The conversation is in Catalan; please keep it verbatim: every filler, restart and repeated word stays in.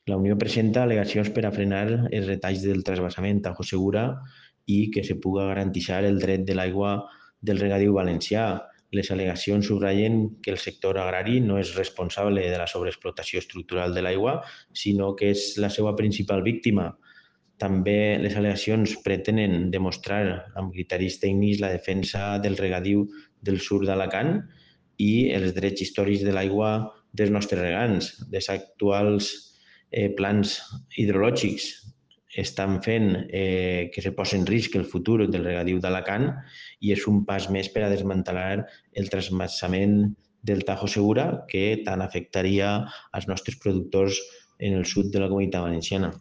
La Unió presenta al·legacions per a frenar els retalls del transvasament Tajo Segura i que se puga garantir el dret de l'aigua del regadiu valencià. Les al·legacions subratllen que el sector agrari no és responsable de la sobreexplotació estructural de l'aigua, sinó que és la seva principal víctima. També les al·legacions pretenen demostrar amb criteris tècnics la defensa del regadiu del sud d'Alacant i els drets històrics de l'aigua dels nostres regants. Les actuals eh, plans hidrològics estan fent eh, que se posi en risc el futur del regadiu d'Alacant i és un pas més per a desmantelar el transvasament del Tajo Segura que tant afectaria als nostres productors en el sud de la Comunitat Valenciana.